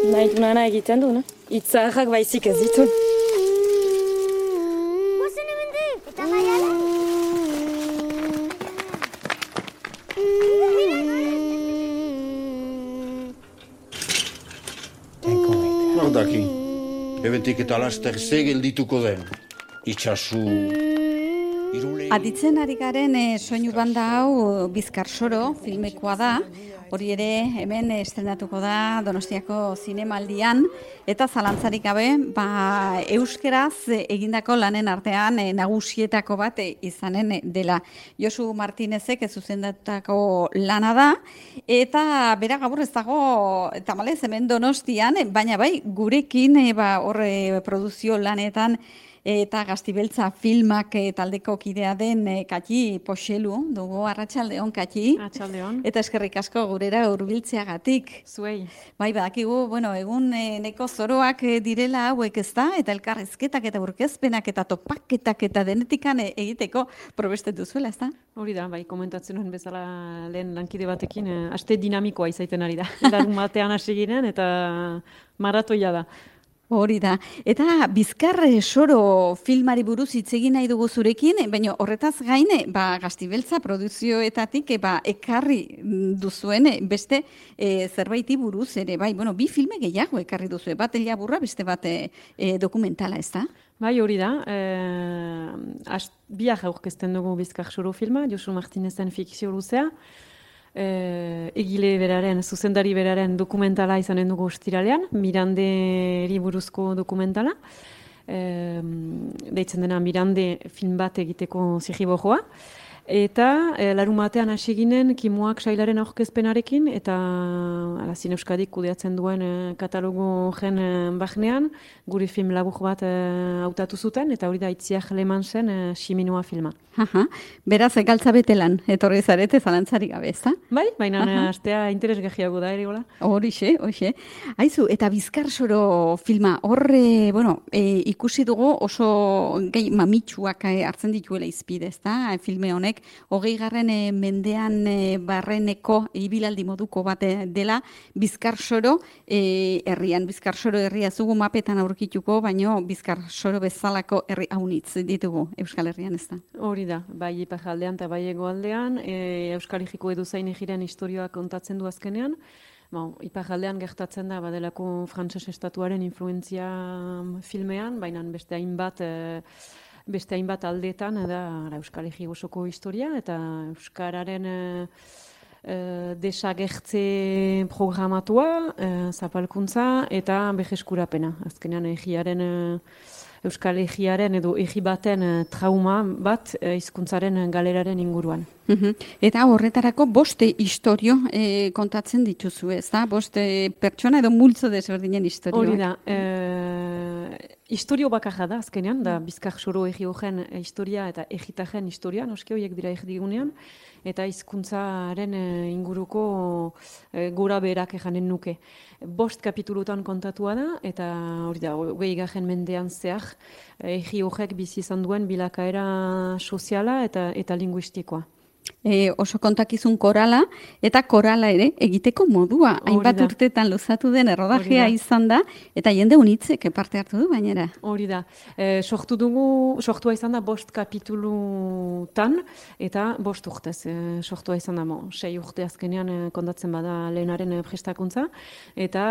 Nahi dunana egiten du, no? Itzaharrak baizik ez ditu. Guazen hemendik, eta maiala? Nordaki, ebetik eta laster ze geldituko den. Itxasu... Aditzen ari garen soinu banda hau Bizkar Soro filmekoa da. Hori ere hemen estrenatuko da Donostiako zinemaldian eta zalantzarik gabe euskeraz egindako lanen artean nagusietako bat izanen dela. Josu Martinezek zuzendatutako lana da eta bera gaur ez dago tamalez hemen Donostian, baina bai gurekin hor produzio lanetan eta Gaztibeltza filmak taldeko kidea den Kati Poxelu dugu. Arratsaldeon, Kati. Arratsaldeon. Eta eskerrik asko gurera hurbiltzeagatik. Zuei. Bai, badakigu, egun neko zoroak direla hauek, ezta? Eta elkarrizketak eta aurkezpenak eta topaketak eta denetikan egiteko probestetu zuela, ezta? Hori da, bai, komentatzen nuen bezala lehen lankide batekin, aste dinamikoa izaiten ari da. Larun batean hasi ginen eta maratoia da. Hori da. Eta Bizkar Soro filmari buruz hitz egin nahi dugu zurekin, baina horretaz gain, Gaztibeltza produzioetatik ekarri duzuen beste zerbaiti buruz ere, bi filme gehiago ekarri duzue, bat elaburra, beste bat dokumentala, ez da? Bai, hori da. Biak aurkezten dugu Bizkar Soro filma, Josu Martinezen fikzio luzea. Egile beraren, zuzendari beraren dokumentala izanen dugu ostiralean, Miranderi buruzko dokumentala. Deitzen dena Mirande film bat egiteko zirriborroa. Eta larun batean hasi ginen Kimuak sailaren aurkezpenarekin eta Zine Euskadik kudeatzen duen katalogo gen bahnean gure film labur bat hautatu zuten eta hori da Itziar Lemansen Ximinua filma. Beraz, galtza betelan, etorri zarete zalantzarik gabe, ezta? Bai, baina astea interesgarriago da ere, gola. Horixe. Aizu, eta Bizkar Soro filma, horre, ikusi dugu oso gai mamitsuak hartzen dituela izpide, ezta? Filme honek, 20. mendean barreneko ibilaldi moduko bat dela Bizkar Soro herrian. Bizkar Soro herria zugu mapetan aurkituko, baino Bizkar Soro bezalako herri haunitz ditugu Euskal Herrian, ezta? Hori da, bai iparraldean eta bai hegoaldean, Euskal Herriko edozein egiren historioa kontatzen du azkenean. Iparraldean gertatzen da, badelako frantses estatuaren influentzia filmean, baina beste hainbat aldeetan da Euskal Herri osoko historia eta Euskararen desagertze programatua, zapalkuntza eta berreskurapena. Azkenean Euskal Herriaren edo herri baten trauma bat hizkuntzaren galeraren inguruan. Eta horretarako 5 istorio kontatzen dituzu, ez da? 5 pertsona edo multzo desberdinen istorioak. Hori da. Historio bakarra da azkenean, da Bizkar Soro herri horren historia eta herritaren historia, noski horiek dira erdigunean, eta hizkuntzaren inguruko gora berak ejanen nuke. 5 kapitulutan kontatua da, eta hori da, 20. mendean zehar, herri horrek bizi izan duen bilakaera soziala eta linguistikoa. Oso kontakizun korala, eta korala ere egiteko modua. Hainbat urtetan luzatu den errodajea izan da, eta jende unitzek parte hartu du bainera. Hori da. Sortua izan da 5 kapitulutan, eta 5 urtez. Sortua izan da 6 urte azkenean kontatzen bada lehenaren prestakuntza, eta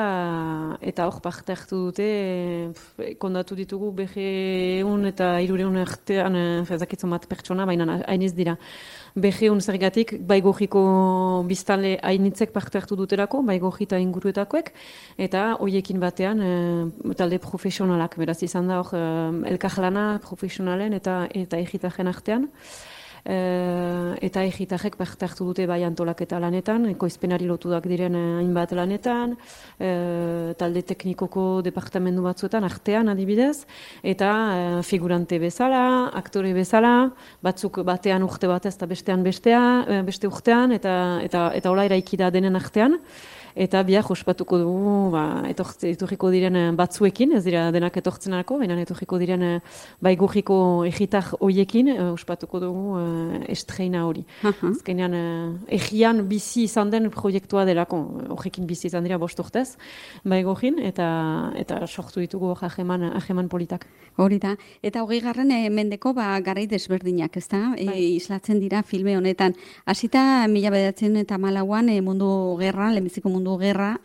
hor parte hartu dute, kontatu ditugu 200 eta 300 artean, ezakitzen bat pertsona, baina hainiz dira. 200 zergatik, Baigorriko biztanle hainitzek parte hartu duterako, Baigorri eta inguruetakoek, eta hoiekin batean talde profesionalak, beraz izan da hor elkarlana profesionalen eta egitaren artean. Eta egitarrek parte hartu dute bai antolaketa lanetan, ekoizpenari lotuak diren hainbat lanetan, talde teknikoko departamentu batzuetan artean adibidez, eta figurante bezala, aktore bezala, batzuk batean urte batez eta beste urtean, eta hola eraiki da denen artean. eta biak ospatuko dugu etorriko diren batzuekin, ez dira denak etortzenarako, baina etorriko diren baigurriko egitar hoiekin ospatuko dugu estreina hori. Azkenean egian bizi izan den proiektua delako, horrekin bizi izan dira 5 urtez, baigurrin, eta sortu ditugu hageman politak. Hori da, eta 20. mendeko garai desberdinak, ezta? Islatzen dira filme honetan. Hasita 1914an mundu gerra, lehenbiziko mundu gerra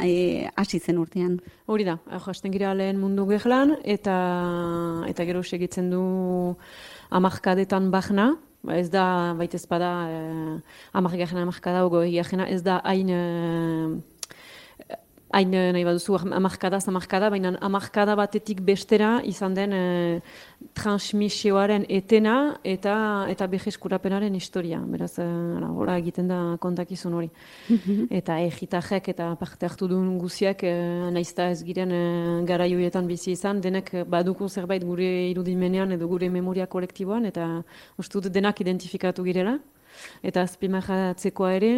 hasi zen urtean. Hori da, hasten gira lehen mundu gerlan, eta gero segitzen du hamarkadetan barna. Ez da, baita ez bada, hamarkada, ez da hain nahi baduzu hamarkada, baina hamarkada batetik bestera izan den transmisioaren etena eta berreskurapenaren historia. Beraz, hola egiten da kontakizun hori. Eta egitajek eta parte hartu duen guziak, naizta ez giren garaioietan bizi izan, denek baduko zerbait gure irudimenean edo gure memoria kolektiboan, eta uste dut denak identifikatu girela. Eta azpimarratzekoa ere,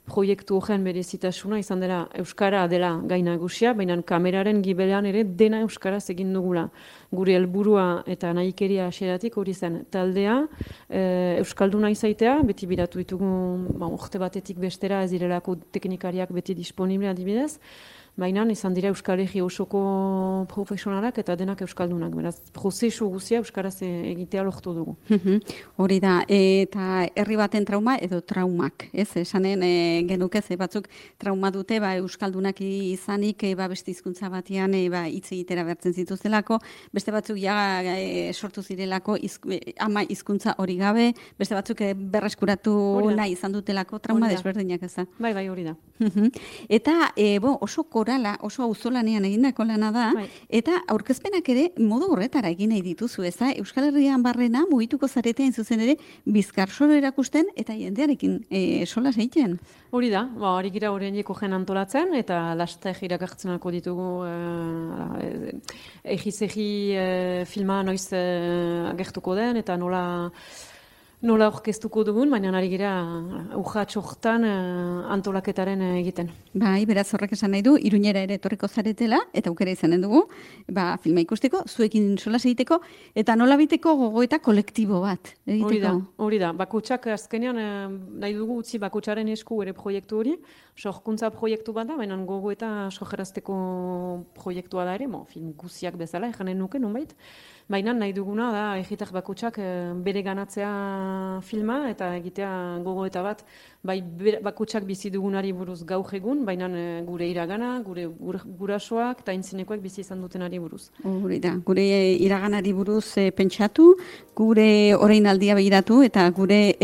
proiektu horren berezitasuna izan dela Euskara dela gai nagusia, baina kameraren gibelean ere dena Euskaraz egin dugula. Gure helburua eta nahikeria hasieratik hori zen taldea, Euskalduna izaitea, beti biratu ditugu urte batetik bestera ez direlako teknikariak beti disponible adibidez, baina izan dira Euskal Herri osoko profesionalak eta denak Euskaldunak. Beraz, prozesu guzia Euskaraz egitea lortu dugu. Hori da, eta herri baten trauma edo traumak, ez? Esanen genuke ze batzuk trauma dute, Euskaldunak izanik, beste hizkuntza batean hitz egitera bertzen zituztelako, beste batzuk sortu zirelako ama hizkuntza hori gabe, beste batzuk berreskuratu nahi izan dutelako trauma desberdinak, ez da? Bai, hori da. Eta, oso korala, oso auzolanean egindako lana da, eta aurkezpenak ere modu horretara egin nahi dituzu, ez da? Euskal Herrian barrena mugituko zaretean zuzen ere bizkarsoro erakusten eta jendearekin solas egiten. Hori da, hori gira horieneko jen antolatzen, eta laster irakartzenako ditugu egiz-egi filma noiz agertuko den, eta nola orkestuko dugun, baina ari gira urratxortan antolaketaren egiten. Beraz horrek esan nahi du, Iruñera ere etorriko zaretela, eta aukera izanen dugu, filma ikusteko, zuekin solas egiteko, eta nola biteko gogoeta kolektibo bat egiteko. Hori da, bakutsak azkenean nahi dugu utzi bakutsaren esku ere proiektu hori, sorkuntza proiektu bat da, baina gogoeta sorgerazteko proiektua da ere, film guziak bezala, ejanen nuke, nonbait. Baina nahi duguna da egitak bakutsak bere ganatzea filma eta egitea gogoeta bat, bai bakutsak bizi dugunari buruz gaur egun, baina gure iragana, gure gurasoak eta aintzinekoak bizi izan dutenari buruz. Hori da, gure iraganari buruz pentsatu, gure orainaldia begiratu eta gure